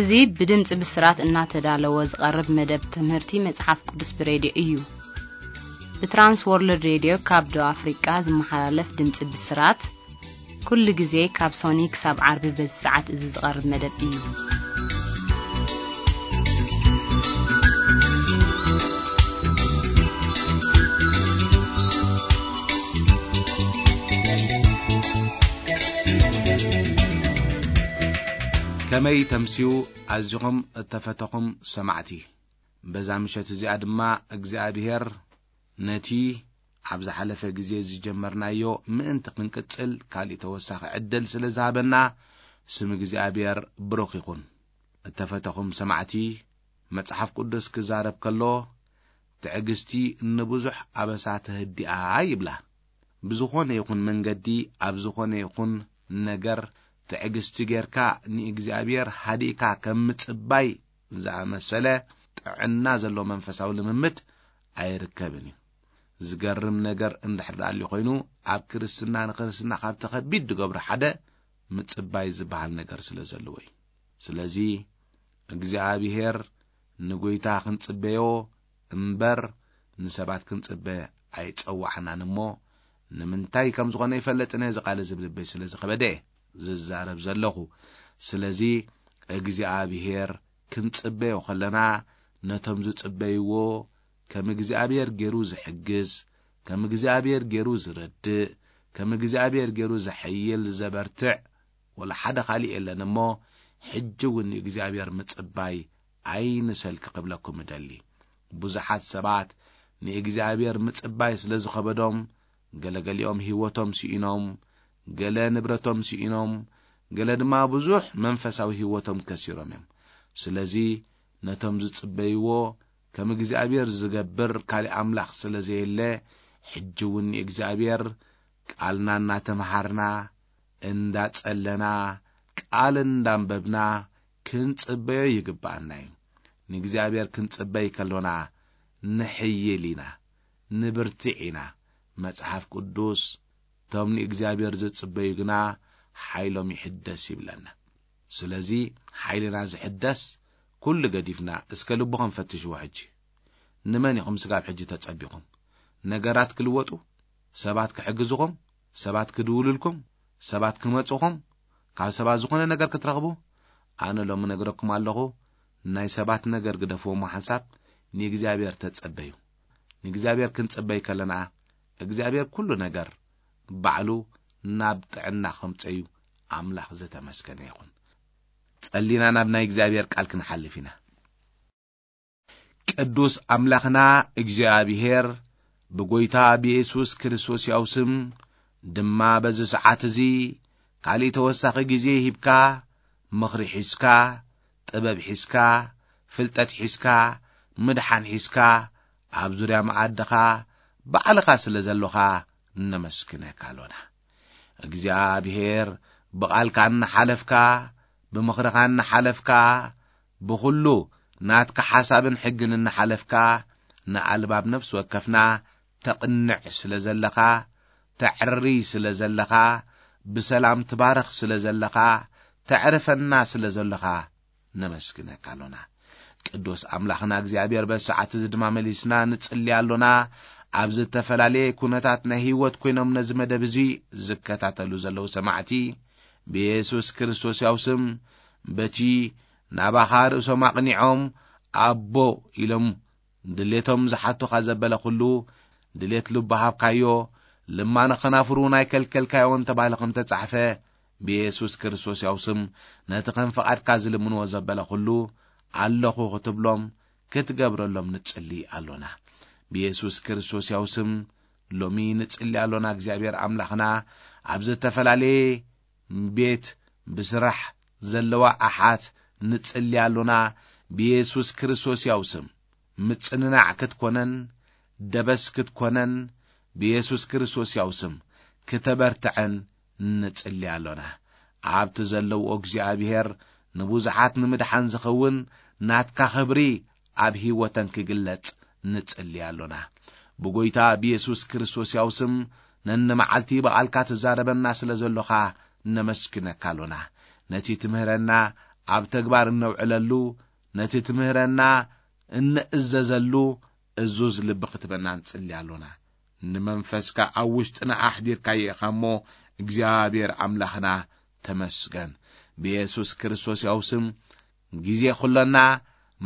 እዚ ብድምፂ ብስራት እናተዳለወ ዝቐርብ መደብ ትምህርቲ መጽሓፍ ቅዱስ ብሬድዮ እዩ። ብትራንስ ወርልድ ሬድዮ ካብ ደቡብ ኣፍሪቃ ዝመሓላለፍ ድምፂ ብስራት፣ ኩሉ ግዜ ካብ ሶኒ ክሳብ ዓርቢ በዚ ሰዓት እዚ ዝቐርብ መደብ እዩ። ከመይ ተምስዩ ኣዚኹም እተፈተኹም ሰማዕቲ። በዛ ምሸት እዚኣ ድማ እግዚኣብሔር ነቲ ኣብ ዝሓለፈ ግዜ ዝጀመርናዮ ምእንቲ ክንቅጽል ካሊእ ተወሳኺ ዕድል ስለ ዝሃበና ስም እግዚኣብሔር ብሩኽ ይኹን። እተፈተኹም ሰማዕቲ፣ መጽሓፍ ቅዱስ ክዛረብ ከሎ ትዕግስቲ ንብዙሕ ኣበሳ ተህድኣ ይብላ። ብዝኾነ ይኹን መንገዲ ኣብ ዝኾነ ይኹን ነገር ትዕግስቲ ጌርካ ንእግዚኣብሔር ሃዲእካ ከም ምጽባይ ዝኣመሰለ ጥዕና ዘለዎ መንፈሳዊ ልምምድ ኣይርከብን እዩ። ዝገርም ነገር እንድሕር ደኣ ኣልዩ ኮይኑ ኣብ ክርስትና ንክርስትና ካብቲ ከቢድ ዝገብሮ ሓደ ምጽባይ ዝበሃል ነገር ስለ ዘለዎ እዩ። ስለዚ እግዚኣብሔር ንጎይታ ክንጽበዮ እምበር ንሰባት ክንጽበ ኣይጸዋዕናን እሞ ንምንታይ ከም ዝኾነ ይፈልጥን እየ። እዚ ቃል እዚ ብልበይ ስለ ዝኸበደ እየ ዝዛረብ ዘለኹ። ስለዚ እግዚኣብሔር ክንጽበዮ ከለና ነቶም ዝጽበይዎ ከም እግዚኣብሔር ገይሩ ዝሕግዝ፣ ከም እግዚኣብሔር ገይሩ ዝረድእ፣ ከም እግዚኣብሔር ገይሩ ዘሐይል ዘበርትዕ ወላ ሓደ ካልእ የለን እሞ ሕጂ እውን ንእግዚኣብሔር ምጽባይ ኣይንሰልኪ ክብለኩም እደሊ። ብዙሓት ሰባት ንእግዚኣብሔር ምጽባይ ስለ ዝኸበዶም ገለገሊኦም ህይወቶም ስኢኖም፣ ገለ ንብረቶም ስኢኖም፣ ገለ ድማ ብዙሕ መንፈሳዊ ህይወቶም ከሲሮም እዮም። ስለዚ ነቶም ዝጽበይዎ ከም እግዚኣብሔር ዝገብር ካልእ ኣምላኽ ስለ ዘየለ ሕጂ እውን ንእግዚኣብሔር ቃልና እናተምሃርና እንዳጸለና ቃል እንዳንበብና ክንጽበዮ ይግብኣና እዩ። ንእግዚኣብሔር ክንጽበይ ከሎና ንሕይል ኢና፣ ንብርትዕ ኢና። መጽሓፍ ቅዱስ እቶም ንእግዚኣብሔር ዝጽበዩ ግና ሓይሎም ይሕደስ ይብለና። ስለዚ ሓይልና ዝሕደስ ኩሉ ገዲፍና እስከ ልብኹም ፈትሽዎ። ሕጂ ንመን ኢኹም ስጋብ ሕጂ ተጸቢኹም? ነገራት ክልወጡ፣ ሰባት ክሕግዝኹም፣ ሰባት ክድውሉልኩም፣ ሰባት ክመጹኹም፣ ካብ ሰባት ዝኾነ ነገር ክትረኽቡ? ኣነ ሎሚ ነግረኩም ኣለኹ፣ ናይ ሰባት ነገር ግደፍዎ እሞ ሓንሳብ ንእግዚኣብሔር ተጸበዩ። ንእግዚኣብሔር ክንጽበይ ከለና እግዚኣብሔር ኩሉ ነገር ባዕሉ ናብ ጥዕና ከምጸዩ ኣምላኽ ዝተመስገነ ይኹን። ጸሊና ናብ ናይ እግዚኣብሔር ቃል ክንሓልፍ ኢና። ቅዱስ ኣምላኽና እግዚኣብሔር ብጎይታ ብየሱስ ክርስቶስ ያው ስም ድማ በዚ ሰዓት እዚ ካልእ ተወሳኺ ግዜ ሂብካ፣ ምኽሪ ሒዝካ፣ ጥበብ ሒዝካ፣ ፍልጠት ሒዝካ፣ ምድሓን ሒዝካ፣ ኣብ ዙርያ መኣድኻ ባዕልኻ ስለ ዘሎኻ ነመስግነካ ኣሎና። እግዚኣብሔር ብቓልካ እናሓለፍካ፣ ብምኽርኻ እናሓለፍካ፣ ብኹሉ ናትካ ሓሳብን ሕግን እናሓለፍካ፣ ንኣልባብ ነፍሲ ወከፍና ተቕንዕ ስለ ዘለኻ፣ ተዕሪ ስለ ዘለኻ፣ ብሰላም ትባርኽ ስለ ዘለኻ፣ ተዕርፈና ስለ ዘለኻ ነመስግነካ ኣሎና። ቅዱስ ኣምላኽና እግዚኣብሔር በዚ ሰዓት እዚ ድማ መሊስና ንጽሊ ኣሎና። ኣብ ዝተፈላለየ ኩነታት ናይ ህይወት ኮይኖም ነዚ መደብ እዚ ዝከታተሉ ዘለዉ ሰማዕቲ ብየሱስ ክርስቶስ ያው ስም በቲ ናባኻ ርእሶም ኣቕኒዖም ኣቦ ኢሎም ድሌቶም ዝሓቱኻ ዘበለ ኩሉ ድሌት ልቡ ሃብካዮ፣ ልማነ ኸናፍሩ ናይ ከልከልካዮ እንተባህለ ከም ተጻሕፈ፣ ብየሱስ ክርስቶስ ያው ስም ነቲ ከም ፍቓድካ ዝልምንዎ ዘበለ ኩሉ ኣለኹ ክትብሎም ክትገብረሎም ንጽሊ ኣሎና። ብየሱስ ክርስቶስ ያው ስም ሎሚ ንጽሊ ኣሎና። እግዚኣብሔር ኣምላኽና ኣብ ዝተፈላለየ ቤት ብስራሕ ዘለዋ ኣሓት ንጽሊ ኣሎና። ብየሱስ ክርስቶስ ያው ስም ምጽንናዕ ክትኮነን ደበስ ክትኮነን ብየሱስ ክርስቶስ ያው ስም ክተበርትዐን ንጽሊ ኣሎና። ኣብቲ ዘለውኦ እግዚኣብሔር ንብዙሓት ንምድሓን ዝኸውን ናትካ ክብሪ ኣብ ህይወተን ክግለጽ ንጽሊ ኣሎና። ብጎይታ ብየሱስ ክርስቶስ ያው ስም ነንመዓልቲ ብቓልካ ትዛረበና ስለ ዘሎኻ ነመስግነካ ኣሎና። ነቲ ትምህረና ኣብ ተግባር እነውዕለሉ፣ ነቲ ትምህረና እንእዘዘሉ እዙዝ ልቢ ክትበና ንጽሊ ኣሎና። ንመንፈስካ ኣብ ውሽጥና ኣሕዲርካዮ ኢኻ እሞ፣ እግዚኣብሔር ኣምላኽና ተመስገን። ብየሱስ ክርስቶስ ያው ስም ግዜ ኩለና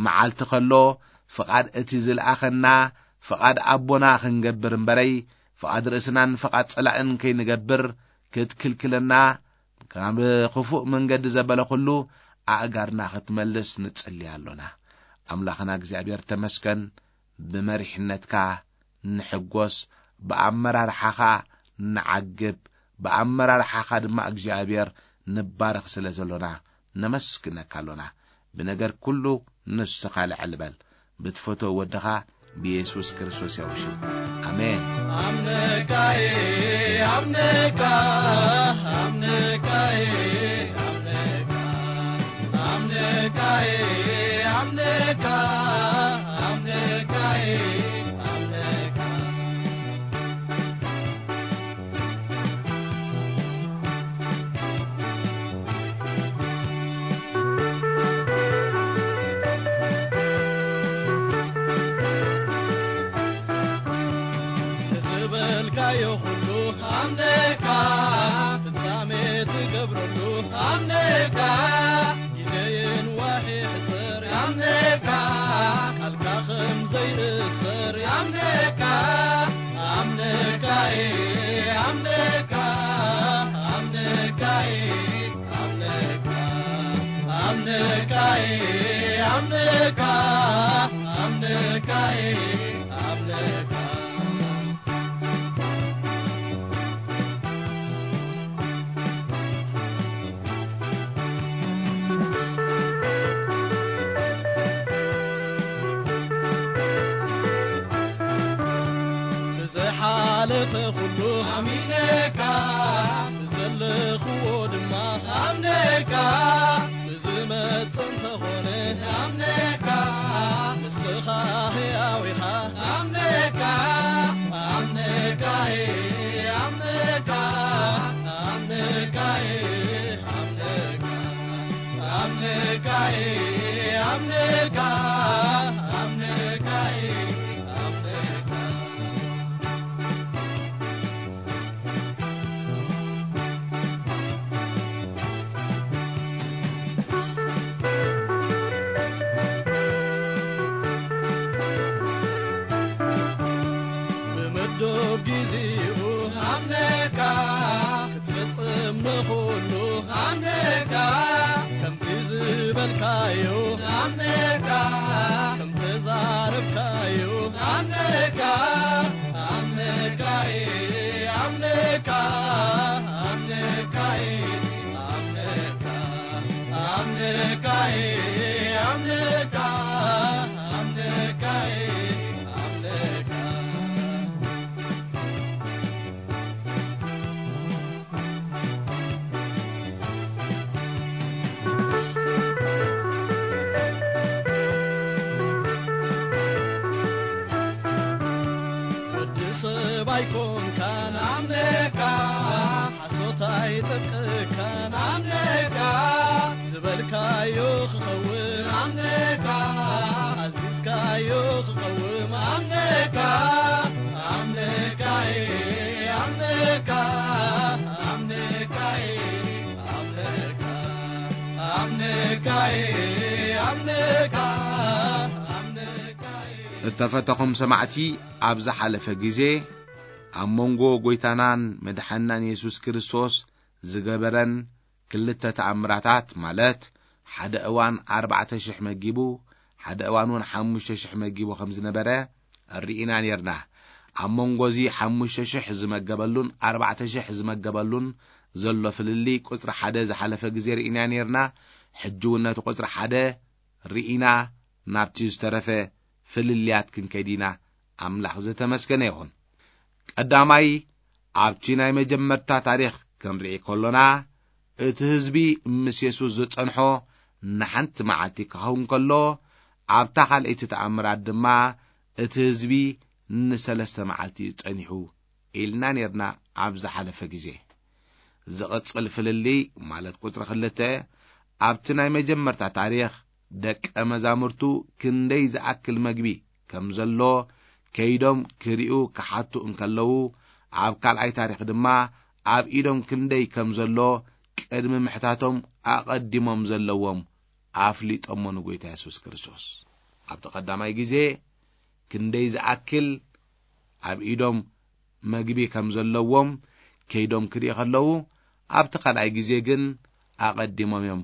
መዓልቲ ከሎ ፍቓድ እቲ ዝለኣኸና ፍቓድ ኣቦና ክንገብር እምበረይ፣ ፍቓድ ርእስናን ፍቓድ ጸላእን ከይንገብር ክትክልክለና፣ ካብ ክፉእ መንገዲ ዘበለ ኩሉ ኣእጋርና ክትመልስ ንጽሊ ኣሎና። ኣምላኽና እግዚኣብሔር ተመስገን። ብመሪሕነትካ ንሕጎስ፣ ብኣመራርሓኻ ንዓግብ፣ ብኣመራርሓኻ ድማ እግዚኣብሔር ንባረኽ ስለ ዘሎና ነመስግነካ ኣሎና። ብነገር ኩሉ ንስኻ ልዕል በል። ብትፈትዎ ወድኻ ብየሱስ ክርስቶስ ያው ሽም። ኣሜን። ኣምነካዬ፣ ኣምነካ፣ ኣምነካዬ፣ ኣምነካ፣ ኣምነካዬ፣ ኣምነካ፣ ኣምነካዬ፣ ኣምነካ። ዝበልካዮ ኩሉ ኣምነካ፣ ፍጻሜ ትገብረሉ ኣምነካ፣ ግዜ የንዋሕ ይሕጽር ኣምነካ፣ ቃልካ ከም ዘይእሰር ኣምነካ፣ ኣምነካዬ፣ ኣምነካ፣ ኣምነካዬ፣ ኣምነካ፣ ኣምነካዬ፣ ኣምነካ፣ ኣምነካዬ፣ ኣምነካ። ብዝሓለፈ ኩሉ ኣሚነካ፣ ብዘለኽዎ ድማ ኣምነካ፣ ብዝመጽእ እንተኾነ ኣምነካ፣ ንስኻ ሕያው ኢኻ ኣምነካ፣ ኣምነካዬ፣ ኣምነካ፣ ኣምነካዬ፣ ኣምነካ፣ ኣምነካዬ፣ ኣምነካ፣ ኣምነካዬ፣ ኣምነካ። ብምዱብ ጊዜኡ ኣምነካ፣ ክትፍጽም ንኹሉ ኣምነካ፣ ከምቲ ዝበልካዮ ኣምነካ፣ ከምቲ ዛረብካዮ ኣምነካ፣ ኣምነካዬ፣ ኣምነካ፣ ኣምነካዬ፣ ኣምነካ፣ ኣምነካዬ፣ ኣምነካ፣ ኣምነካዬ፣ ኣምነካ። ወዲ ሰብ ኣይኮንካን ኣምነካ፣ ሓሶት ኣይጠቅካን ኣምነካ፣ ዝበልካዮ ክኸውን ኣምነካ፣ ኣዚዝካዮ ክቐውም ኣምነካ፣ ኣምነካዬ፣ ኣምነካ፣ ኣምነካዬ፣ ኣምነካ፣ ኣምነካዬ፣ ኣምነካ፣ ኣምነካዬ። እተፈተኹም ሰማዕቲ፣ ኣብ ዝሓለፈ ግዜ ኣብ መንጎ ጐይታናን መድሓንናን የሱስ ክርስቶስ ዝገበረን ክልተ ተኣምራታት፣ ማለት ሓደ እዋን ኣርባዕተ ሽሕ መጊቡ፣ ሓደ እዋን እውን ሓሙሽተ ሽሕ መጊቡ ከም ዝነበረ ርኢና ኔርና። ኣብ መንጎ እዚ ሓሙሽተ ሽሕ ዝመገበሉን ኣርባዕተ ሽሕ ዝመገበሉን ዘሎ ፍልልይ ቁጽሪ ሓደ ዝሓለፈ ግዜ ርኢና ኔርና። ሕጂ እውን ነቲ ቁጽሪ ሓደ ርኢና ናብቲ ዝተረፈ ፍልልያት ክንከይድ ኢና። ኣምላኽ ዝተመስገነ ይኹን። ቀዳማይ፣ ኣብቲ ናይ መጀመርታ ታሪኽ ክንርኢ ከሎና፣ እቲ ህዝቢ ምስ የሱስ ዝጸንሖ ንሓንቲ መዓልቲ ክኸውን ከሎ፣ ኣብታ ካልኣይቲ ተኣምራት ድማ እቲ ህዝቢ ንሰለስተ መዓልቲ ጸኒሑ ኢልና ኔርና ኣብ ዝሓለፈ ግዜ። ዝቕጽል ፍልልይ፣ ማለት ቁጽሪ ክልተ፣ ኣብቲ ናይ መጀመርታ ታሪኽ ደቀ መዛሙርቱ ክንደይ ዝኣክል መግቢ ከም ዘሎ ከይዶም ክሪኡ ክሓቱ እንከለዉ፣ ኣብ ካልኣይ ታሪኽ ድማ ኣብ ኢዶም ክንደይ ከም ዘሎ ቅድሚ ምሕታቶም ኣቐዲሞም ዘለዎም ኣፍሊጦሞ ንጎይታ የሱስ ክርስቶስ። ኣብቲ ቀዳማይ ግዜ ክንደይ ዝኣክል ኣብ ኢዶም መግቢ ከም ዘለዎም ከይዶም ክርኢ ከለዉ፣ ኣብቲ ካልኣይ ግዜ ግን ኣቐዲሞም እዮም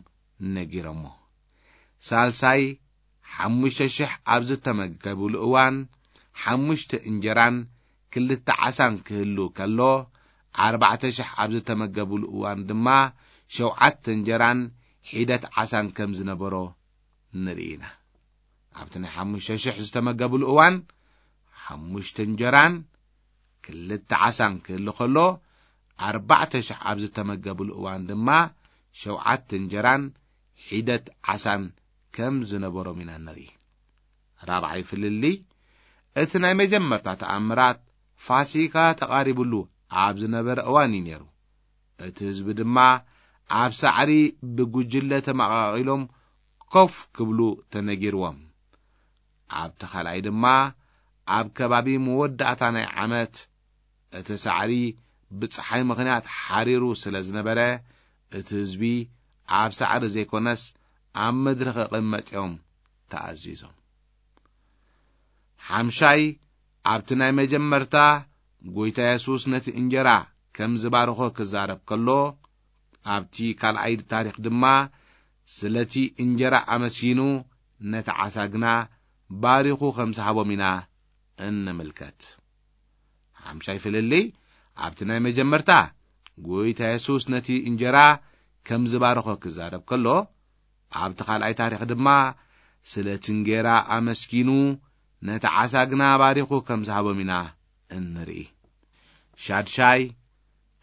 ነጊሮሞ። ሳልሳይ ሓሙሽተ ሽሕ ኣብ ዝተመገብሉ እዋን፣ ሓሙሽተ እንጀራን ክልተ ዓሳን ክህሉ ከሎ፣ ኣርባዕተ ሽሕ ኣብ ዝተመገብሉ እዋን ድማ፣ ሸውዓተ እንጀራን ሒደት ዓሳን ከም ዝነበሮ ንርኢ ኢና። ኣብቲ ናይ ሓሙሽተ ሽሕ ዝተመገብሉ እዋን፣ ሓሙሽተ እንጀራን ክልተ ዓሳን ክህሉ ከሎ፣ ኣርባዕተ ሽሕ ኣብ ዝተመገብሉ እዋን ድማ፣ ሸውዓተ እንጀራን ሒደት ዓሳን ከም ዝነበሮም ኢና ንርኢ። ራብዓይ ፍልልይ፣ እቲ ናይ መጀመርታ ተኣምራት ፋሲካ ተቓሪቡሉ ኣብ ዝነበረ እዋን እዩ ነይሩ። እቲ ህዝቢ ድማ ኣብ ሳዕሪ ብጉጅለ ተመቓቒሎም ኮፍ ክብሉ ተነጊርዎም። ኣብቲ ካልኣይ ድማ ኣብ ከባቢ መወዳእታ ናይ ዓመት እቲ ሳዕሪ ብጸሓይ ምኽንያት ሓሪሩ ስለ ዝነበረ፣ እቲ ህዝቢ ኣብ ሳዕሪ ዘይኮነስ ኣብ ምድሪ ክቕመጥ እዮም ተኣዚዞም። ሓምሻይ፣ ኣብቲ ናይ መጀመርታ ጎይታ የሱስ ነቲ እንጀራ ከም ዝባርኾ ክዛረብ ከሎ፣ ኣብቲ ካልኣይ ታሪኽ ድማ ስለቲ እንጀራ ኣመስጊኑ ነቲ ዓሳ ግና ባሪኹ ከም ዝሃቦም ኢና እንምልከት። ሓምሻይ ፍልልይ፣ ኣብቲ ናይ መጀመርታ ጎይታ የሱስ ነቲ እንጀራ ከም ዝባረኾ ክዛረብ ከሎ፣ ኣብቲ ካልኣይ ታሪኽ ድማ ስለቲ እንጌራ ኣመስጊኑ ነቲ ዓሳ ግና ባሪኹ ከም ዝሃቦም ኢና እንርኢ። ሻድሻይ፣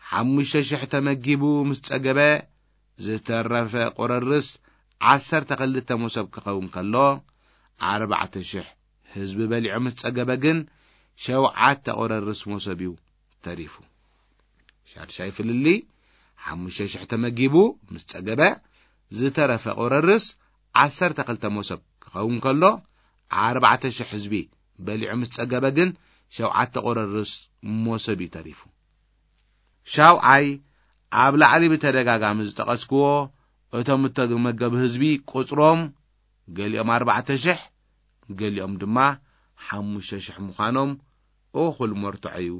ሓሙሽተ ሽሕ ተመጊቡ ምስ ጸገበ፣ ዝተረፈ ቁርርስ ዓሰርተ ክልተ መሶብ ክኸውን ከሎ፣ ኣርባዕተ ሽሕ ህዝቢ በሊዑ ምስ ጸገበ ግን፣ ሸውዓተ ቁርርስ መሶብ እዩ ተሪፉ። ሻድሻይ ፍልልይ፣ ሓሙሽተ ሽሕ ተመጊቡ ምስ ጸገበ፣ ዝተረፈ ቁርርስ ዓሰርተ ክልተ መሶብ ክኸውን ከሎ፣ ኣርባዕተ ሽሕ ህዝቢ በሊዑ ምስ ጸገበ ግን፣ ሸውዓተ ቁርርስ መሶብ እዩ ተሪፉ። ሻውዓይ፣ ኣብ ላዕሊ ብተደጋጋሚ ዝጠቐስክዎ፣ እቶም እተመገቡ ህዝቢ ቁጽሮም፣ ገሊኦም ኣርባዕተ ሽሕ፣ ገሊኦም ድማ ሓሙሽተ ሽሕ ምዃኖም እኹል መርትዖ እዩ።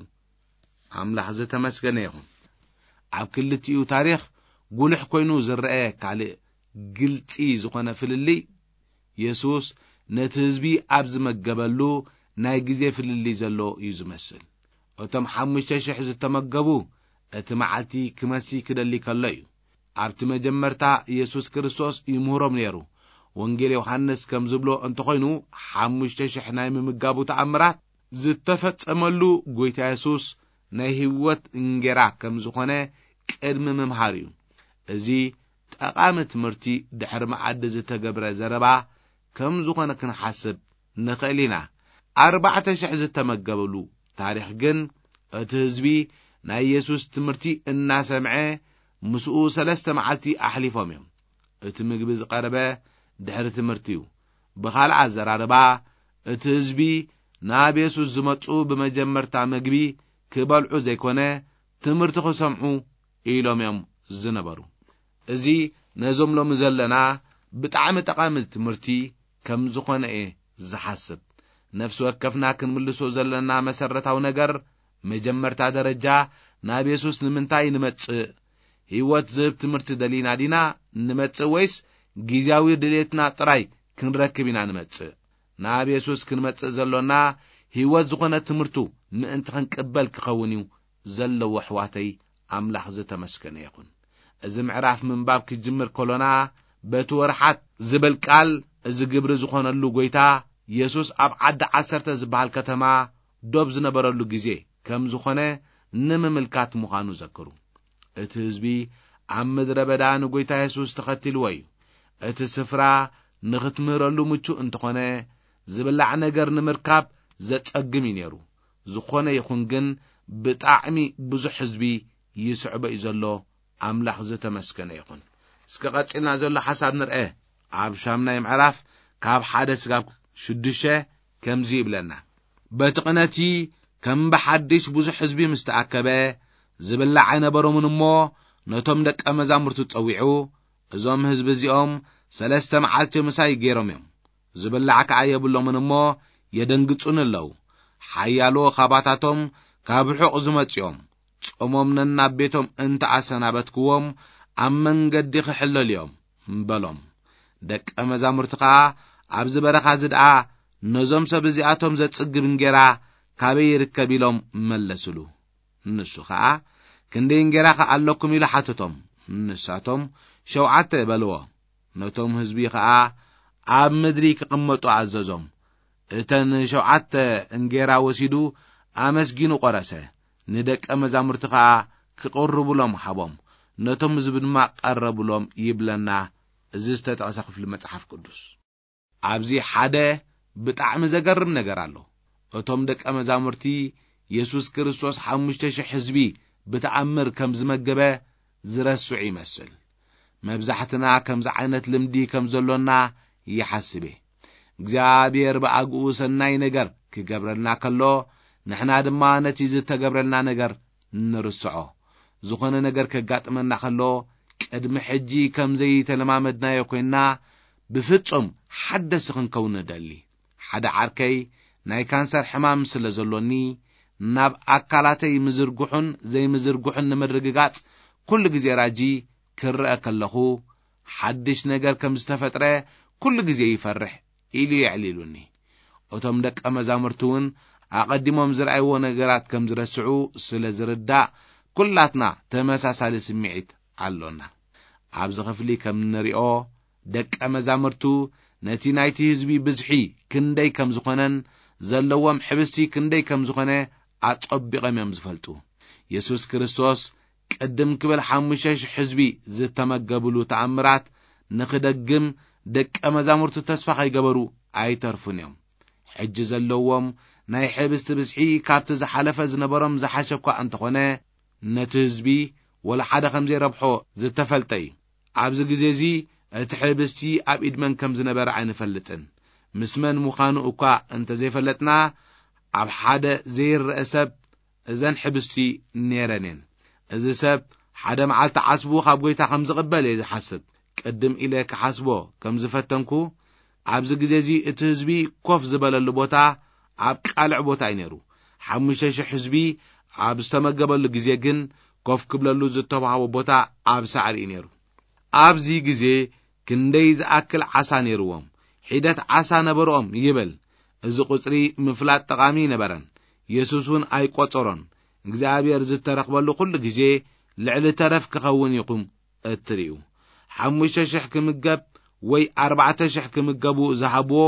ኣምላኽ ዝተመስገነ ይኹን። ኣብ ክልቲኡ ታሪኽ ጉልሕ ኮይኑ ዝረአ ካልእ ግልጺ ዝኾነ ፍልልይ፣ የሱስ ነቲ ህዝቢ ኣብ ዝመገበሉ ናይ ግዜ ፍልልይ ዘሎ እዩ ዝመስል። እቶም ሓሙሽተ ሽሕ ዝተመገቡ፣ እቲ መዓልቲ ክመሲ ክደሊ ከሎ እዩ። ኣብቲ መጀመርታ የሱስ ክርስቶስ ይምህሮም ነይሩ። ወንጌል ዮሃንስ ከም ዝብሎ እንተኾይኑ፣ ሓሙሽተ ሽሕ ናይ ምምጋቡ ተኣምራት ዝተፈጸመሉ ጎይታ የሱስ ናይ ህይወት እንጌራ ከም ዝኾነ ቅድሚ ምምሃር እዩ። እዚ ጠቓሚ ትምህርቲ ድሕሪ መኣዲ ዝተገብረ ዘረባ ከም ዝኾነ ክንሓስብ ንኽእል ኢና። ኣርባዕተ ሽሕ ዝተመገበሉ ታሪኽ ግን፣ እቲ ህዝቢ ናይ የሱስ ትምህርቲ እናሰምዐ ምስኡ ሰለስተ መዓልቲ ኣሕሊፎም እዮም። እቲ ምግቢ ዝቐረበ ድሕሪ ትምህርቲ እዩ። ብኻልእ ኣዘራርባ፣ እቲ ህዝቢ ናብ የሱስ ዝመጹ ብመጀመርታ ምግቢ ክበልዑ ዘይኮነ፣ ትምህርቲ ክሰምዑ ኢሎም እዮም ዝነበሩ። እዚ ነዞም ሎሚ ዘለና ብጣዕሚ ጠቓሚ ትምህርቲ ከም ዝኾነ እየ ዝሓስብ። ነፍሲ ወከፍና ክንምልሶ ዘለና መሰረታዊ ነገር፣ መጀመርታ ደረጃ ናብ የሱስ ንምንታይ ንመጽእ? ህይወት ዝህብ ትምህርቲ ደሊና ዲና ንመጽእ፣ ወይስ ግዝያዊ ድሌትና ጥራይ ክንረክብ ኢና ንመጽእ? ናብ የሱስ ክንመጽእ ዘሎና፣ ህይወት ዝኾነ ትምህርቱ ምእንቲ ክንቅበል ክኸውን እዩ ዘለዎ። ኣሕዋተይ፣ ኣምላኽ ዝተመስገነ ይኹን። እዚ ምዕራፍ ምንባብ ክጅምር ከሎና፣ በቲ ወርሓት ዝብል ቃል፣ እዚ ግብሪ ዝኾነሉ ጎይታ፣ የሱስ ኣብ ዓዲ ዓሰርተ ዝበሃል ከተማ ዶብ ዝነበረሉ ግዜ ከም ዝኾነ ንምምልካት ምዃኑ ዘክሩ። እቲ ህዝቢ ኣብ ምድረ በዳ ንጎይታ የሱስ ተኸቲልዎ እዩ። እቲ ስፍራ ንኽትምህረሉ ምቹእ እንተኾነ፣ ዝብላዕ ነገር ንምርካብ ዘጸግም እዩ ነይሩ። ዝኾነ ይኹን ግን፣ ብጣዕሚ ብዙሕ ህዝቢ ይስዕቦ እዩ ዘሎ። ኣምላኽ ዝተመስገነ ይኹን። እስከ ቀጺልና ዘሎ ሓሳብ ንርአ። ኣብ ሻምናይ ምዕራፍ ካብ ሓደ ስጋብ ሽዱሽተ ከምዚ ይብለና። በቲ ቅነቲ ከም ብሓድሽ ብዙሕ ህዝቢ ምስ ተኣከበ፣ ዝብላዕ ኣይነበሮምን እሞ፣ ነቶም ደቀ መዛሙርቱ ጸዊዑ፣ "እዞም ህዝቢ እዚኦም ሰለስተ መዓልቲ ምሳይ ገይሮም እዮም፣ ዝብላዕ ከኣ የብሎምን እሞ የደንግጹኒ ኣለዉ። ሓያሎ ኻባታቶም ካብ ርሑቕ ዝመጹ እዮም። ጾሞም ነናብ ቤቶም እንተ ኣሰናበትክዎም፣ ኣብ መንገዲ ኽሕለሉ እዮም" በሎም። ደቀ መዛሙርቲ ኸኣ፣ "ኣብዚ በረኻ እዚ ደኣ ነዞም ሰብ እዚኣቶም ዘጽግብ እንጌራ ካበይ ይርከብ?" ኢሎም መለስሉ። ንሱ ኸኣ፣ "ክንደይ እንጌራ ኸ ኣለኩም?" ኢሉ ሓተቶም። ንሳቶም፣ "ሸውዓተ" በልዎ። ነቶም ህዝቢ ኸኣ ኣብ ምድሪ ክቕመጡ ኣዘዞም። እተን ሸውዓተ እንጌራ ወሲዱ፣ ኣመስጊኑ ቈረሰ፣ ንደቀ መዛሙርቲ ኸኣ ክቕርቡሎም ሃቦም። ነቶም ህዝቢ ድማ ቀረቡሎም ይብለና እዚ ዝተጠቕሰ ክፍሊ መጽሓፍ ቅዱስ። ኣብዚ ሓደ ብጣዕሚ ዘገርም ነገር ኣሎ። እቶም ደቀ መዛሙርቲ፣ የሱስ ክርስቶስ ሓሙሽተ ሽሕ ህዝቢ ብተኣምር ከም ዝመገበ ዝረስዑ ይመስል። መብዛሕትና ከምዚ ዓይነት ልምዲ ከም ዘሎና ይሓስብ እየ። እግዚኣብሔር ብኣግኡ ሰናይ ነገር ክገብረልና ከሎ፣ ንሕና ድማ ነቲ ዝተገብረልና ነገር ንርስዖ። ዝኾነ ነገር ከጋጥመና ከሎ፣ ቅድሚ ሕጂ ከም ዘይተለማመድናዮ ኮይንና፣ ብፍጹም ሓደስቲ ክንከውን ንደሊ። ሓደ ዓርከይ ናይ ካንሰር ሕማም ስለ ዘሎኒ፣ ናብ ኣካላተይ ምዝርግሑን ዘይምዝርግሑን ንምርግጋጽ፣ ኩሉ ግዜ ራጂ ክርአ ከለኹ፣ ሓድሽ ነገር ከም ዝተፈጥረ ኩሉ ግዜ ይፈርሕ ኢሉ የዕሊሉኒ። እቶም ደቀ መዛሙርቲ እውን ኣቐዲሞም ዝረኣይዎ ነገራት ከም ዝረስዑ ስለ ዝርዳእ፣ ኩላትና ተመሳሳሊ ስምዒት ኣሎና። ኣብዚ ክፍሊ ከም እንሪኦ፣ ደቀ መዛሙርቱ ነቲ ናይቲ ህዝቢ ብዝሒ ክንደይ ከም ዝኾነን ዘለዎም ሕብስቲ ክንደይ ከም ዝኾነ ኣጸቢቖም እዮም ዝፈልጡ። የሱስ ክርስቶስ ቅድም ክብል ሓሙሽተ ሽሕ ህዝቢ ዝተመገብሉ ተኣምራት ንኽደግም ደቀ መዛሙርቱ ተስፋ ከይገበሩ ኣይተርፉን እዮም። ሕጂ ዘለዎም ናይ ሕብስቲ ብዝሒ ካብቲ ዝሓለፈ ዝነበሮም ዝሓሸ እኳ እንተኾነ፣ ነቲ ህዝቢ ወላ ሓደ ከም ዘይረብሖ ዝተፈልጠ እዩ። ኣብዚ ግዜ እዚ እቲ ሕብስቲ ኣብ ኢድ መን ከም ዝነበረ ኣይንፈልጥን። ምስ መን ምዃኑ እኳ እንተ ዘይፈለጥና፣ ኣብ ሓደ ዘይረአ ሰብ እዘን ሕብስቲ ነይረን እየን። እዚ ሰብ ሓደ መዓልቲ ዓስቡ ካብ ጐይታ ከም ዝቕበል እየ ዝሓስብ። ቅድም ኢለ ክሓስቦ ከም ዝፈተንኩ፣ ኣብዚ ግዜ እዚ እቲ ህዝቢ ኮፍ ዝበለሉ ቦታ ኣብ ቃልዕ ቦታ እዩ ነይሩ። ሓሙሽተ ሽሕ ህዝቢ ኣብ ዝተመገበሉ ግዜ ግን፣ ኮፍ ክብለሉ ዝተዋህቦ ቦታ ኣብ ሳዕሪ እዩ ነይሩ። ኣብዚ ግዜ ክንደይ ዝኣክል ዓሳ ነይርዎም? ሒደት ዓሳ ነበርኦም ይብል። እዚ ቁጽሪ ምፍላጥ ጠቓሚ ኣይነበረን። የሱስ እውን ኣይቆጸሮን። እግዚኣብሔር ዝተረኽበሉ ኩሉ ግዜ ልዕሊ ተረፍ ክኸውን ኢኹም እትርእዩ። ሓሙሽተ ሽሕ ክምገብ ወይ ኣርባዕተ ሽሕ ክምገቡ ዝሃብዎ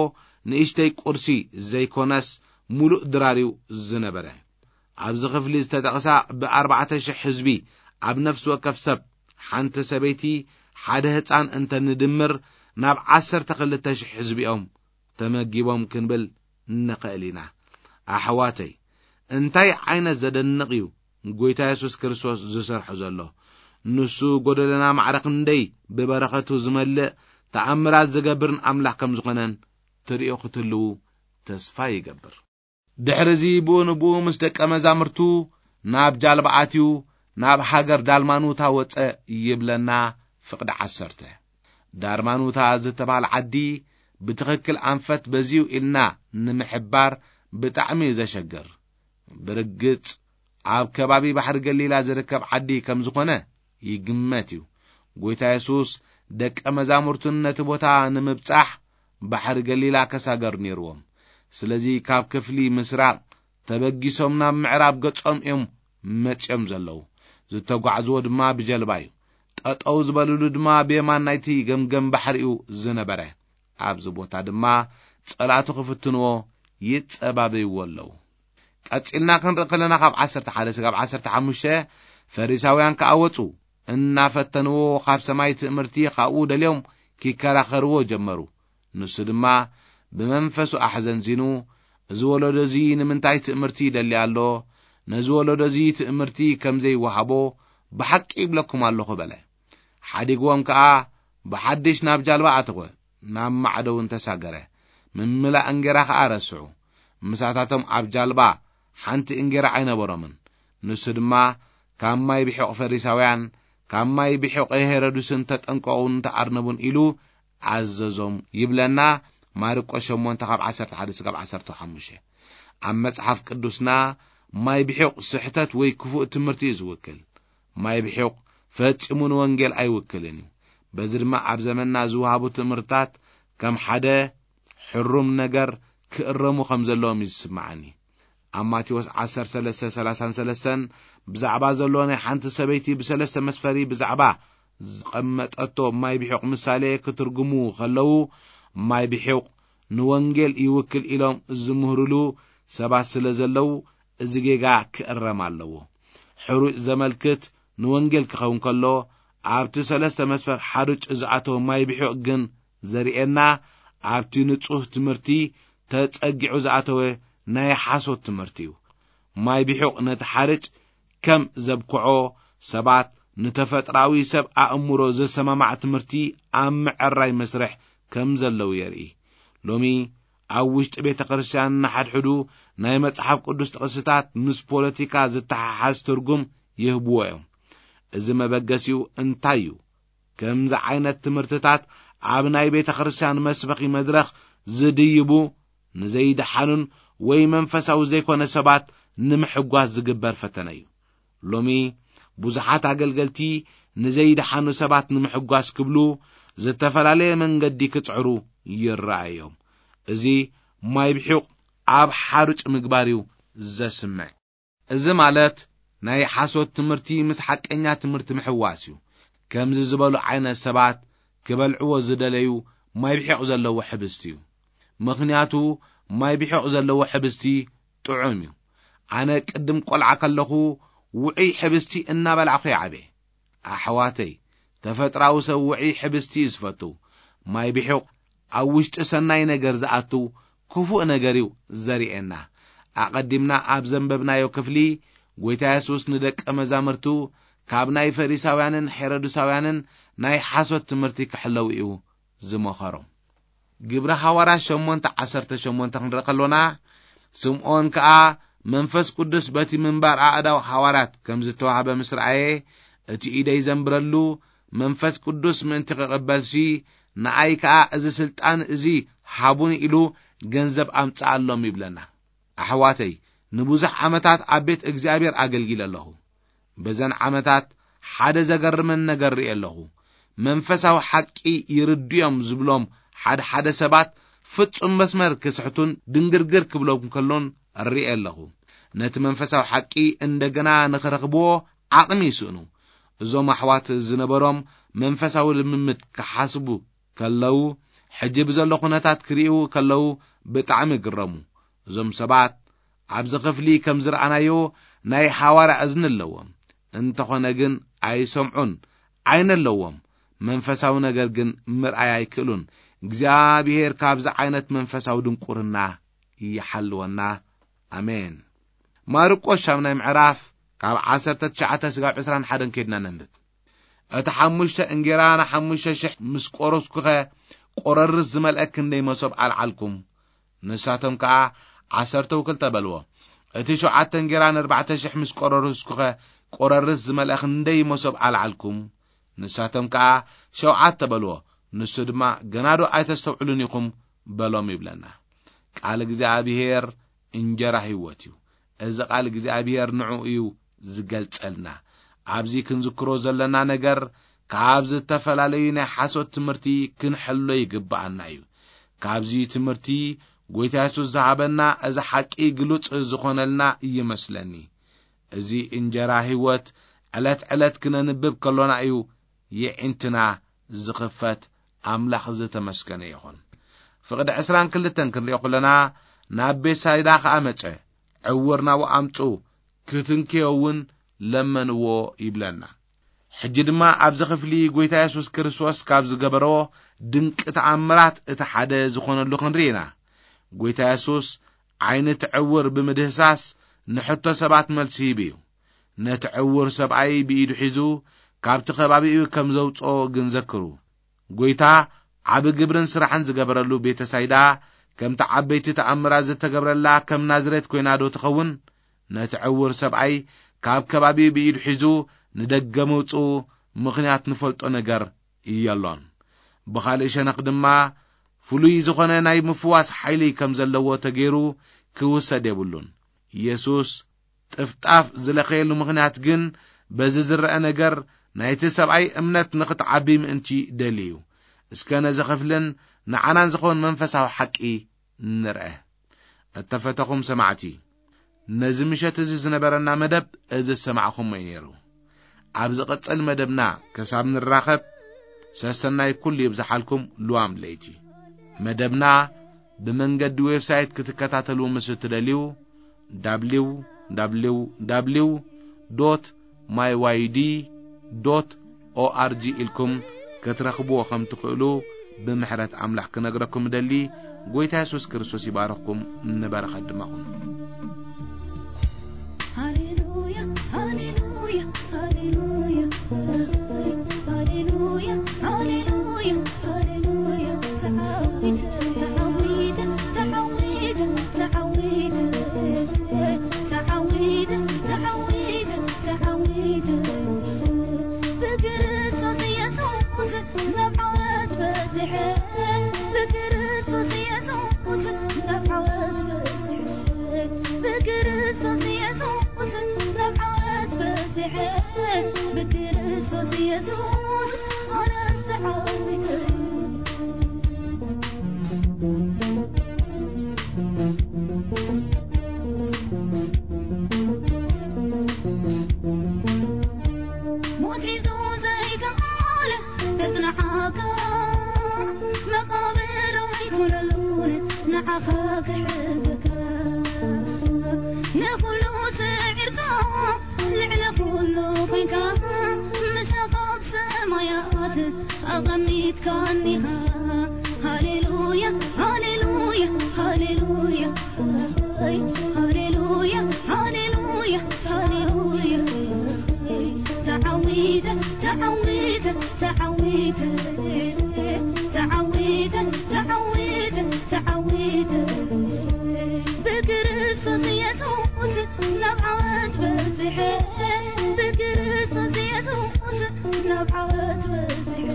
ንእሽተይ ቁርሲ ዘይኮነስ፣ ምሉእ ድራር እዩ ዝነበረ። ኣብዚ ክፍሊ ዝተጠቕሳ ብኣርባዕተ ሽሕ ህዝቢ፣ ኣብ ነፍሲ ወከፍ ሰብ ሓንቲ ሰበይቲ፣ ሓደ ህጻን እንተ ንድምር፣ ናብ ዓሰርተ ክልተ ሽሕ ህዝቢ እዮም ተመጊቦም ክንብል ንኽእል ኢና። ኣሕዋተይ፣ እንታይ ዓይነት ዘደንቕ እዩ ጐይታ የሱስ ክርስቶስ ዝሰርሖ ዘሎ! ንሱ ጐደለና ማዕረ ክንደይ ብበረኸቱ ዝመልእ ተኣምራት ዝገብርን ኣምላኽ ከም ዝኾነን ትርእዩ ክትህልዉ ተስፋ ይገብር። ድሕርዚ ብኡ ንብኡ ምስ ደቀ መዛሙርቱ ናብ ጃልባ ኣትዩ፣ ናብ ሃገር ዳልማኑታ ወጸ ይብለና ፍቕዲ ዓሰርተ። ዳርማኑታ ዝተባህለ ዓዲ ብትኽክል ኣንፈት በዚዩ ኢልና ንምሕባር ብጣዕሚ እዩ ዘሸግር። ብርግጽ ኣብ ከባቢ ባሕሪ ገሊላ ዝርከብ ዓዲ ከም ዝኾነ ይግመት እዩ። ጐይታ የሱስ ደቀ መዛሙርቱን ነቲ ቦታ ንምብጻሕ ባሕሪ ገሊላ ከሳገሩ ነይርዎም። ስለዚ ካብ ክፍሊ ምስራቕ ተበጊሶም ናብ ምዕራብ ገጾም እዮም መጺኦም ዘለዉ። ዝተጓዕዝዎ ድማ ብጀልባ እዩ። ጠጠው ዝበልሉ ድማ ብየማን ናይቲ ገምገም ባሕሪ እዩ ዝነበረ። ኣብዚ ቦታ ድማ ጸላእቱ ክፍትንዎ ይጸባበይዎ ኣለዉ። ቀጺልና ክንርኢ ከለና ካብ ዓሰርተ ሓደ ስጋብ ዓሰርተ ሓሙሽተ ፈሪሳውያን ከኣ ወጹ። እናፈተንዎ ካብ ሰማይ ትእምርቲ ካብኡ ደልዮም ኪከራኸርዎ ጀመሩ። ንሱ ድማ ብመንፈሱ ኣሕዘንዚኑ፣ "እዚ ወለዶ እዚ ንምንታይ ትእምርቲ ይደሊ ኣሎ? ነዚ ወለዶ እዚ ትእምርቲ ከም ዘይወሃቦ ብሓቂ ይብለኩም ኣለኹ" በለ። ሓዲግዎም ከኣ ብሓድሽ ናብ ጃልባ ኣተወ፣ ናብ ማዕዶ እውን ተሳገረ። ምምላእ እንጌራ ኸኣ ረስዑ። ምሳታቶም ኣብ ጃልባ ሓንቲ እንጌራ ኣይነበሮምን። ንሱ ድማ፣ ካብ ማይ ብሒቕ ፈሪሳውያን፣ ካብ ማይ ብሒቕ ሄሮድስን ተጠንቀቑን ተኣርነቡን ኢሉ ኣዘዞም ይብለና። ማርቆስ ሸሞንተ ካብ ዓሰርተ ሓደ እስካብ ዓሰርተ ሓሙሽተ። ኣብ መጽሓፍ ቅዱስና ማይ ብሒቕ ስሕተት ወይ ክፉእ ትምህርቲ እዩ ዝውክል። ማይ ብሒቕ ፈጺሙ ንወንጌል ኣይውክልን እዩ። በዚ ድማ ኣብ ዘመንና ዝወሃቡ ትምህርትታት ከም ሓደ ሕሩም ነገር ክእረሙ ከም ዘለዎም እዩ ዝስምዓኒ። ኣብ ማቴዎስ ዓሰርተ ሰለስተ ሰላሳን ሰለስተን ብዛዕባ ዘሎ ናይ ሓንቲ ሰበይቲ ብሰለስተ መስፈሪ ብዛዕባ ዝቐመጠቶ ማይ ብሒቕ ምሳሌ ክትርጉሙ ከለዉ፣ ማይ ብሒቕ ንወንጌል ይውክል ኢሎም ዝምህሩሉ ሰባት ስለ ዘለዉ፣ እዚ ጌጋ ክእረም ኣለዎ። ሕሩጭ ዘመልክት ንወንጌል ክኸውን ከሎ፣ ኣብቲ ሰለስተ መስፈር ሓሩጭ ዝኣተወ ማይ ብሒቕ ግን ዘርእየና፣ ኣብቲ ንጹህ ትምህርቲ ተጸጊዑ ዝኣተወ ናይ ሓሶት ትምህርቲ እዩ። ማይ ብሒቕ ነቲ ሓርጭ ከም ዘብክዖ፣ ሰባት ንተፈጥራዊ ሰብ ኣእምሮ ዘሰማማዕ ትምህርቲ ኣብ ምዕራይ መስርሕ ከም ዘለዉ የርኢ። ሎሚ ኣብ ውሽጢ ቤተ ክርስቲያን ንሓድሕዱ ናይ መጽሓፍ ቅዱስ ጥቕስታት ምስ ፖለቲካ ዝተሓሓዝ ትርጉም ይህብዎ እዮም። እዚ መበገሲኡ እንታይ እዩ? ከምዚ ዓይነት ትምህርትታት ኣብ ናይ ቤተ ክርስቲያን መስበኺ መድረኽ ዝድይቡ ንዘይደሓኑን ወይ መንፈሳዊ ዘይኮነ ሰባት ንምሕጓስ ዝግበር ፈተነ እዩ። ሎሚ ብዙሓት ኣገልገልቲ ንዘይደሓኑ ሰባት ንምሕጓስ ክብሉ ዝተፈላለየ መንገዲ ክጽዕሩ ይረኣዮም። እዚ ማይ ብሒቕ ኣብ ሓሩጭ ምግባር እዩ ዘስምዕ። እዚ ማለት ናይ ሓሶት ትምህርቲ ምስ ሓቀኛ ትምህርቲ ምሕዋስ እዩ። ከምዚ ዝበሉ ዓይነት ሰባት ክበልዕዎ ዝደለዩ ማይ ብሒቕ ዘለዎ ሕብስቲ እዩ። ምኽንያቱ ማይ ብሒቕ ዘለዎ ሕብስቲ ጥዑም እዩ። ኣነ ቅድም ቆልዓ ከለኹ ውዑይ ሕብስቲ እናበላዕኹ ይዓበየ። ኣሕዋተይ፣ ተፈጥራዊ ሰብ ውዑይ ሕብስቲ እዩ ዝፈቱ። ማይ ብሒቕ ኣብ ውሽጢ ሰናይ ነገር ዝኣቱ ክፉእ ነገር እዩ ዘርእየና። ኣቐዲምና ኣብ ዘንበብናዮ ክፍሊ፣ ጐይታ የሱስ ንደቀ መዛሙርቱ ካብ ናይ ፈሪሳውያንን ሄሮድሳውያንን ናይ ሓሶት ትምህርቲ ክሕለዉ እዩ ዝመኸሮም። ግብሪ ሃዋርያት ሸሞንተ ዓሰርተ ሸሞንተ ክንርኢ ከሎና፣ ስምዖን ከኣ መንፈስ ቅዱስ በቲ ምንባር ኣእዳው ሃዋርያት ከም ዝተዋህበ ምስ ረኣየ፣ እቲ ኢደይ ዘንብረሉ መንፈስ ቅዱስ ምእንቲ ክቕበልሲ፣ ንኣይ ከኣ እዚ ስልጣን እዚ ሃቡኒ ኢሉ ገንዘብ ኣምጽኣሎም ይብለና። ኣሕዋተይ፣ ንብዙሕ ዓመታት ኣብ ቤት እግዚኣብሔር ኣገልጊለ ኣለኹ። በዘን ዓመታት ሓደ ዘገርመን ነገር ርእየ ኣለኹ። መንፈሳዊ ሓቂ ይርድዮም ዝብሎም ሓደ ሓደ ሰባት ፍጹም መስመር ክስሕቱን ድንግርግር ክብሎም ከሎን ርእየ ኣለኹ። ነቲ መንፈሳዊ ሓቂ እንደገና ንኽረኽብዎ ዓቕሚ ይስእኑ። እዞም ኣሕዋት ዝነበሮም መንፈሳዊ ልምምድ ክሓስቡ ከለዉ፣ ሕጂ ብዘሎ ኩነታት ክርእዩ ከለዉ ብጣዕሚ ይግረሙ። እዞም ሰባት ኣብዚ ክፍሊ ከም ዝረኣናዮ ናይ ሓዋርያ እዝኒ ኣለዎም። እንተኾነ ግን ኣይሰምዑን፣ ዓይኒ ኣለዎም፣ መንፈሳዊ ነገር ግን ምርኣይ ኣይክእሉን። እግዚኣብሔር ካብዚ ዓይነት መንፈሳዊ ድንቁርና ይሓልወና። ኣሜን። ማርቆስ ሻምናይ ምዕራፍ ካብ ዓሰርተ ትሽዓተ ስጋብ ዕስራን ሓደን ከይድና ነንብብ። እቲ ሓሙሽተ እንጌራ ንሓሙሽተ ሽሕ ምስ ቆረስኩኸ፣ ቆረርስ ዝመልአ ክንደይ መሶብ ኣልዓልኩም? ንሳቶም ከኣ፣ ዓሰርተው ክልተ በልዎ። እቲ ሸውዓተ እንጌራ ንኣርባዕተ ሽሕ ምስ ቆረርስኩኸ፣ ቆረርስ ዝመልአ ክንደይ መሶብ ኣልዓልኩም? ንሳቶም ከኣ፣ ሸውዓተ በልዎ። ንሱ ድማ፣ ገናዶ ኣይተስተውዕሉን ኢኹም በሎም ይብለና። ቃል እግዚኣብሔር እንጀራ ህይወት እዩ። እዚ ቃል እግዚኣብሔር ንዕኡ እዩ ዝገልጸልና። ኣብዚ ክንዝክሮ ዘለና ነገር፣ ካብ ዝተፈላለዩ ናይ ሓሶት ትምህርቲ ክንሕሎ ይግብኣና እዩ። ካብዚ ትምህርቲ ጐይታ የሱስ ዝሃበና እዚ ሓቂ ግሉጽ ዝኾነልና ይመስለኒ። እዚ እንጀራ ህይወት ዕለት ዕለት ክነንብብ ከሎና እዩ የዒንትና ዝኽፈት። ኣምላኽ ዝተመስገነ ይኹን። ፍቕዲ ዕስራን ክልተን ክንሪኦ ከለና፣ ናብ ቤትሳይዳ ኸኣ መጸ፣ ዕውር ናብኡ ኣምጽኡ፣ ክትንክዮ እውን ለመንዎ ይብለና። ሕጂ ድማ ኣብዚ ክፍሊ ጐይታ የሱስ ክርስቶስ ካብ ዝገበሮ ድንቂ ተኣምራት እቲ ሓደ ዝኾነሉ ክንርኢ ኢና። ጐይታ የሱስ ዓይኒ እቲ ዕውር ብምድህሳስ ንሕቶ ሰባት መልሲ ሂቡ እዩ። ነቲ ዕውር ሰብኣይ ብኢዱ ሒዙ ካብቲ ከባቢኡ ከም ዘውጽኦ ግን ዘክሩ። ጎይታ ዓቢ ግብርን ስራሕን ዝገበረሉ ቤተሳይዳ፣ ከምቲ ዓበይቲ ተኣምራት ዝተገብረላ ከም ናዝሬት ኮይና ዶ ትኸውን? ነቲ ዕውር ሰብኣይ ካብ ከባቢኡ ብኢዱ ሒዙ ንደገ ምውጽኡ ምኽንያት ንፈልጦ ነገር የሎን። ብኻልእ ሸነኽ ድማ፣ ፍሉይ ዝኾነ ናይ ምፍዋስ ሓይሊ ከም ዘለዎ ተገይሩ ክውሰድ የብሉን። ኢየሱስ ጥፍጣፍ ዝለኸየሉ ምኽንያት ግን፣ በዚ ዝረአ ነገር ናይቲ ሰብኣይ እምነት ንኽትዓቢ ምእንቲ ደልዩ እዩ። እስከ ነዚ ክፍልን ንዓናን ዝኸውን መንፈሳዊ ሓቂ ንርአ። እተፈተኹም ሰማዕቲ፣ ነዚ ምሸት እዚ ዝነበረና መደብ እዚ ዝሰማዕኹሞ እዩ ነይሩ። ኣብ ዝቕጽል መደብና ክሳብ ንራኸብ፣ ሰሰናይ ኩሉ ይብዝሓልኩም። ልዋም ለይቲ መደብና ብመንገዲ ዌብሳይት ክትከታተሉ ምስ እትደልዩ፣ www.myyd.org ኢልኩም ክትረኽብዎ ከም ትኽእሉ ብምሕረት ኣምላኽ ክነግረኩም እደሊ። ጎይታ የሱስ ክርስቶስ ይባርኽኩም፣ ንበረኸት ድማ ኹኑ። ሃሌሉያ፣ ሃሌሉያ፣ ሃሌሉያ፣ ሃሌሉያ፣ ሃሌሉያ፣ ሃሌሉያ። ተዓዊተ፣ ተዓዊተ፣ ተዓዊተ፣ ተዓዊተ፣ ተዓዊተ፣ ተዓዊተ፣ ተዓዊተ። ብክርስቶስ ኢየሱስ ናብ ዓወት በጺሐ፣ ብክርስቶስ ኢየሱስ ናብ ዓወት በጺሐ፣ ብክርስቶስ ኢየሱስ ናብ ዓወት በጺሐ፣ ብክርስቶስ ኢየሱስ ኣነስ ተዓዊተ። ሞት ሒዙ ዘይከኣለ ከጽንሓካ፣ መቓብር ኣይኮነሉን ንዓኻ ክሕዘካ። ንኹሉ ስዒርካ፣ ልዕሊ ኩሉ ኮንካ፣ ምሳኻ ኣብ ሰማያት ኣቐሚጥካኒኻ። ሃሌሉያ፣ ሃሌሉያ፣ ሃሌሉያ። ሃሌሉያ፣ ሃሌሉያ፣ ሃሌሉያ። ተዓዊተ፣ ተዓዊተ፣ ተዓዊተ፣ ተዓዊተ፣ ተዓዊተ፣ ተዓዊተ። ብክርስቶስ ኢየሱስ ናብ ዓወት በጺሐ፣ ብክርስቶስ ኢየሱስ ናብ ዓወት በጺሐ፣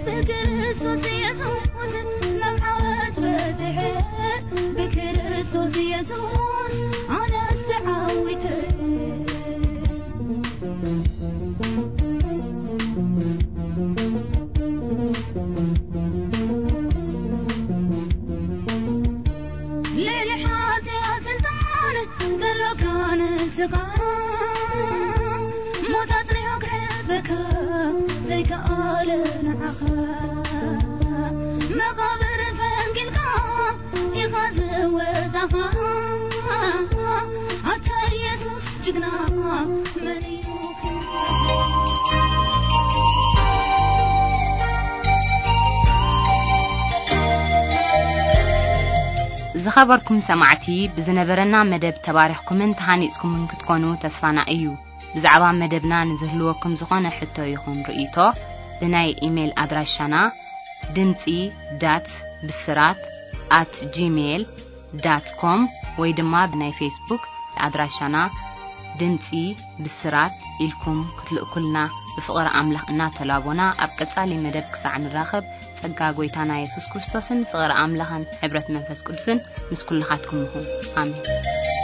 ብክርስቶስ ኢየሱስ ናብ ዓወት በጺሐ፣ ብክርስቶስ ኢየሱስ ኣነስ ተዓዊተ። ልዕሊ ሓጢኣት ስልጣን ዘሎካ ንስኻ፣ ሞት ኣጽኒሑ ክሕዘካ ዘይከኣለ ንዓኻ፣ መቓብር ፈንጊልካ ኢኻ ዝወጻኻ። ኣታ ኢየሱስ ጅግና መን እዩ? ዝኸበርኩም ሰማዕቲ፣ ብዝነበረና መደብ ተባሪኽኩምን ተሃኒጽኩምን ክትኮኑ ተስፋና እዩ። ብዛዕባ መደብና ንዝህልወኩም ዝኾነ ሕቶ ይኹን ርእይቶ፣ ብናይ ኢሜይል ኣድራሻና ድምጺ ዳት ብስራት ኣት ጂሜይል ዳት ኮም ወይ ድማ ብናይ ፌስቡክ ኣድራሻና ድምጺ ብስራት ኢልኩም ክትልእኩልና ብፍቕሪ ኣምላኽ እናተላቦና፣ ኣብ ቀጻሊ መደብ ክሳዕ ንራኸብ፣ ጸጋ ጎይታና የሱስ ክርስቶስን ፍቕሪ ኣምላኽን ሕብረት መንፈስ ቅዱስን ምስ ኩልኻትኩም ይኹን። ኣሜን።